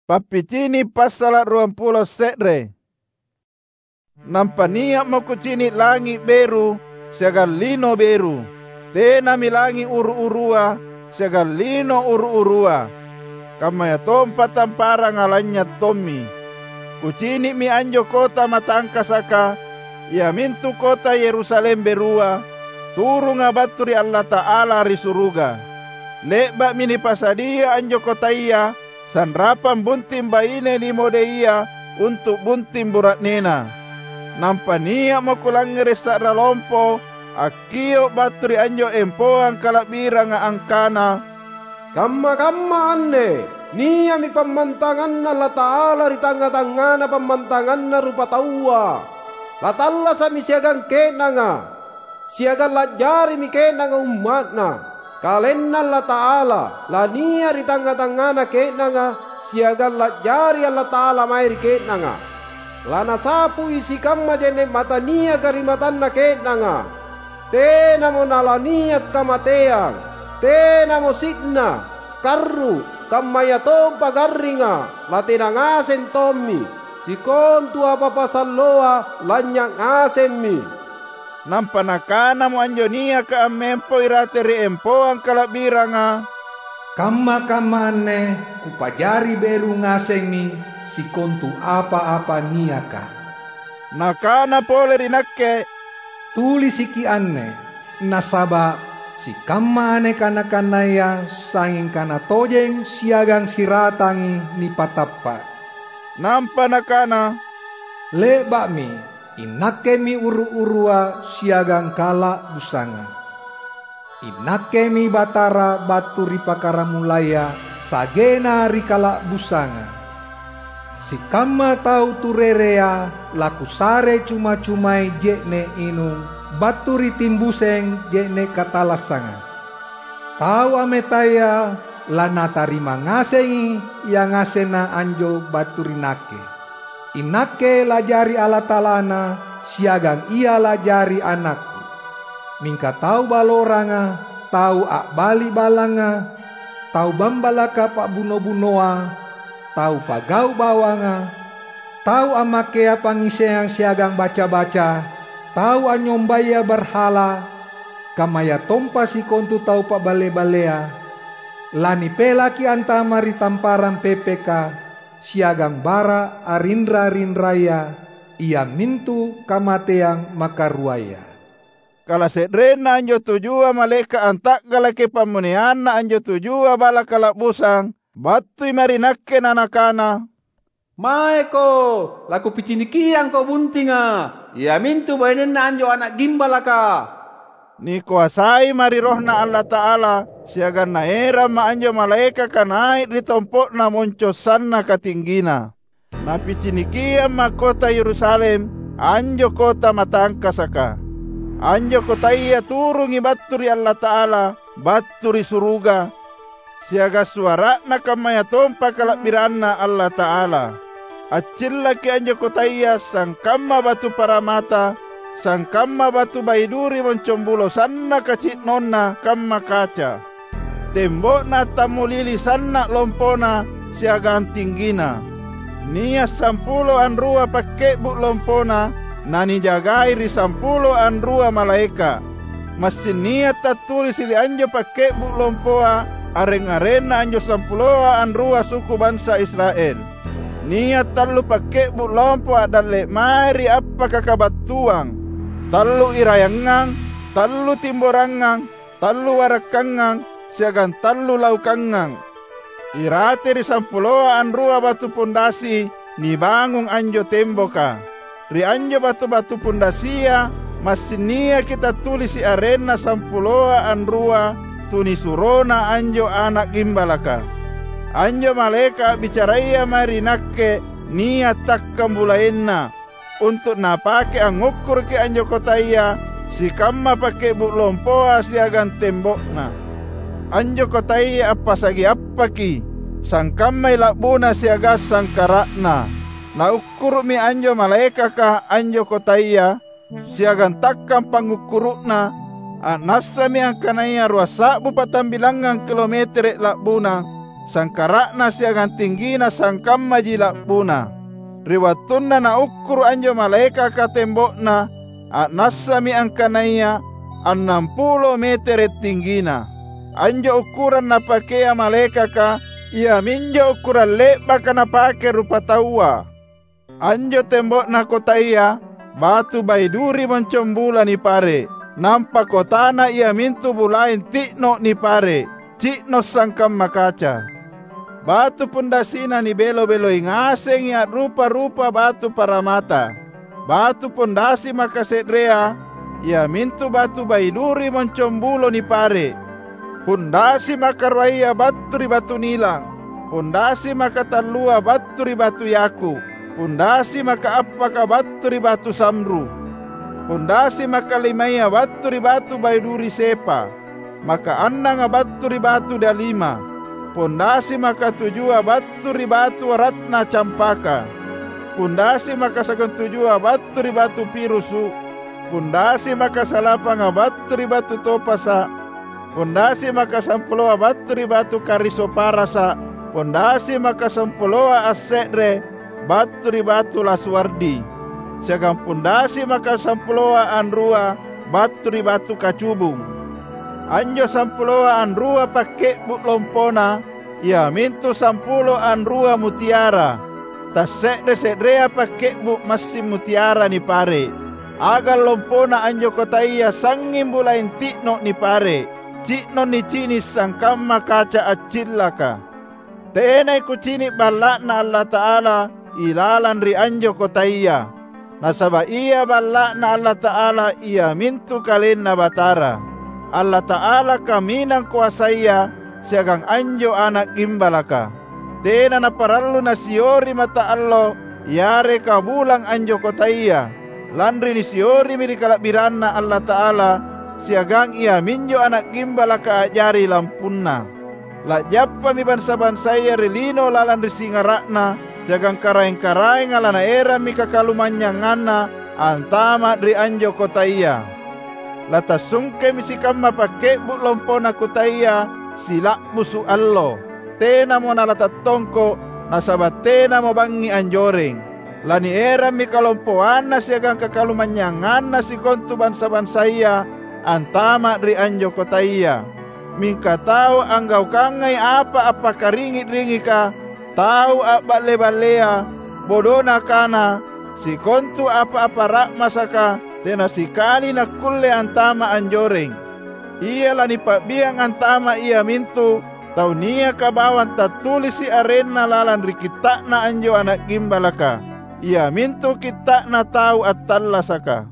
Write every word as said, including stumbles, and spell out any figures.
Pappicini' passala' ruampulo se're. Nampa nia'mo kucini' langi' beru siagang lino beru. Tenami langi' uru-urua siagang lino uru-urua, kammayatompa tamparanga lanynya' tommi. Kucini'mi anjo kota matangkasaka, iamintu kota Yerusalem Berua, turunga battu ri Allata'ala ri suruga. Le'ba'mi nipasadia anjo kotaya sanrapang bunting baine nimodeia untu' bunting bura'nena. Nampa nia'mo kulangngere' sa'ra lompo akkio' battu ri anjo empoang kala'biranga angkana, "Kamma-kamma anne nia'mi pammantanganNa Allata'ala ri tangnga-tangngana pammantanganna rupataua. Latallasa'mi siagang ke'nanga, siagang la'jarimi ke'nanga umma'Na. KalenNa Allata'ala lania' ri tangnga-tangngana ke'nanga, siagang la'jari Allata'ala mae ri ke'nanga. Lanasapui sikamma je'ne' mata niaka ri matanna ke'nanga. Tenamo nalania' kamateang, tenamo si'na, karru', kammayatompa garringa, latena ngaseng tommi. Sikontu apa-apa salloa lanynya' ngasemmi." Nampa nakanamo anjo niaka ammempo irate ri empoang kala'biranga, "Kamma-kamma anne kupajari beru ngasemmi sikontu apa-apa niaka." Nakana pole ri nakke, "Tulisiki anne, nasaba' sikamma anne kana-kanaya sangnging kana tojeng siagang siratangi nipatappa'." Nampa nakana, "Le'ba'mi, iNakkemi uru-urua siagang kala'busanga. INakkemi Batara battu ri pakkaramulaya, sa'genna ri kala'busanga. Sikamma tau turerea laKusare cuma-cumai je'ne' inung battu ri timbuseng je'ne' katallassanga. Tau ametaya lanatarima ngasengi yangasenna anjo battu ri Nakke. INakke la'jari Allata'alana siagang ia la'jari anakKu. Mingka tau baloranga, tau a'bali' ballanga, tau bambalaka pa'buno-bunoa, tau pagau' bawanga, tau ammakea pangngissengang siagang baca-baca, tau anynyombaya barhala, kammayatompa sikontu tau pa'balle-ballea, lanipelaki antama' ri tamparang pepeka siagang bara' arinra-rinraya, iamintu kamateang makaruaya." Kalase'renna anjo tujua malaeka' anta'galaki pammoneanna anjo tujua balla' kala'busang battui mae ri nakke na nakana, "Maeko, lakupicinikiangko buntinga, iamintu bainenna anjo ana' gimbalaka." Nikoasai mae ri RohNa Allata'ala, siagang naeramma' anjo malaekaka nai' ri tompo'na monco sannaka tinggina. Napicinikiamma' kota Yerusalem, anjo kota matangkasaka. Anjo kotaya turungi battu ri Allata'ala, battu ri suruga, siagang suara'na kammayatompa kala'biranNa Allata'ala. Accillaki anjo kotaya sangkamma batu paramata, sangkamma batu baiduri moncong bulo sannaka ci'nonna kamma kaca. Tembo'na tammulili sanna' lompona siagang tinggina. Nia' sampulo anrua pakke'bu' lompona, nanijagai ri sampulo anrua malaeka'. Massing nia' tattulisi' ri anjo pakke'bu' lompoa areng-arenna anjo sampuloa anrua suku bansa Israel. Nia' tallu pakke'bu' lompo a'dalle' mae ri appaka kabattuang, tallu irayangngang, tallu timborangngang, tallu warakkangngang, siagang tallu laukangngang. Irate ri sampuloa anrua batu pondasi nibangung anjo temboka. Ri anjo batu-batu pondasia massing niaki tattulisi' arenna sampuloa anrua tunisuroNa anjo Ana' Gimbalaka. Anjo malaeka' a'bicaraya mae ri nakke nia' takkang bulaenna, untu' napake angngukkuruki anjo kotaya sikamma pakke'bu' lompoa siagang tembo'na. Anjo kotaya appasagi appaki, sangkammai la'buna siagang sangkara'na. Naukkuru'mi anjo malaekaka anjo kotaya, siagang takkang pangngukkuru'na, a'nassami angkanaya ruasa'bu patambilangngang kilometere' la'buna. sangkara'na siagang tinggina sangkammaji la'buna. Ri wattunna naukkuru' anjo malaekaka tembo'na, a'nassami angkanaya annampulo metere' tinggina. Anjo ukkurang napakea malaekaka iaminjo ukkurang le'baka napake rupataua. Anjo tembo'na kotaya batu baiduri moncong bula nipare', nampa kotana iamintu bulaeng ti'no' nipare', ci'no' sangkamma kaca. Batu pondasina nibelo-beloi ngasengi a'rupa-rupa batu paramata. Batu pondasi makase'rea, iamintu batu baiduri moncong bulo nipare'. Pondasi makaruaya battu ri batu nilang, pondasi makatallua battu ri batu yaku, pondasi makaappaka battu ri batu samru, pondasi makalimaya battu ri batu baiduri sepa, makaannanga battu ri batu dalima, pondasi makatujua battu ri batu ratna campaka, pondasi makasagang tujua battu ri batu pirusu', pondasi makasalapanga battu ri batu topasa', pondasi makasampuloa battu ri batu karisoparasa', pondasi makasampuloa asse're battu ri batu lasuardi, siagang pondasi makasampuloa anrua battu ri batu kacubung. Anjo sampuloa anrua pakke'bu' lompona, iamintu sampulo anrua mutiara, tasse're-se'rea pakke'bu' massing mutiara nipare'. Agang lompona anjo kotaya sangnging bulaeng ti'no' nipare', ci'no' nicini' sangkamma kaca accillaka. Tenai kucini' balla'Na Allata'ala ilalang ri anjo kotaya, nasaba' ia balla'Na Allata'ala iamintu KalenNa Batara. Allata'ala kaminang koasaya siagang anjo Ana' Gimbalaka. Tena naparallu nasiori mata allo yareka bulang anjo kotaya, lanri nisiorimi ri kala'biranNa Allata'ala siagang iaminjo Ana' Gimbalaka a'jari lampunna. La'jappami bansa-bansaya ri lino lalang ri singara'na, siagang karaeng-karaenga lanaerammi kakalumanynyanganna antama' ri anjo kotaya. Latassungkemi sikamma pakke'bu' lompona kotaya sila'busu' allo. Tenamo nalatattongko', nasaba' tenamo bangngi anjoreng. Lanierammi kalompoanna siagang kakalumanynyanganna sikontu bansa-bansaya antama' ri anjo kotaya. Mingka tau anggaukangai apa appakaringi'-ringika, tau a'balle-ballea, bodona kana, sikontu apa-apa ra'masaka, tena sikali nakkulle antama' anjoreng. Ia lanipa'biang antama' iamintu tau niaka bawang tattulisi' arenna lalang ri kitta'na anjo Ana' Gimbalaka, iamintu kitta'na tau attallasaka.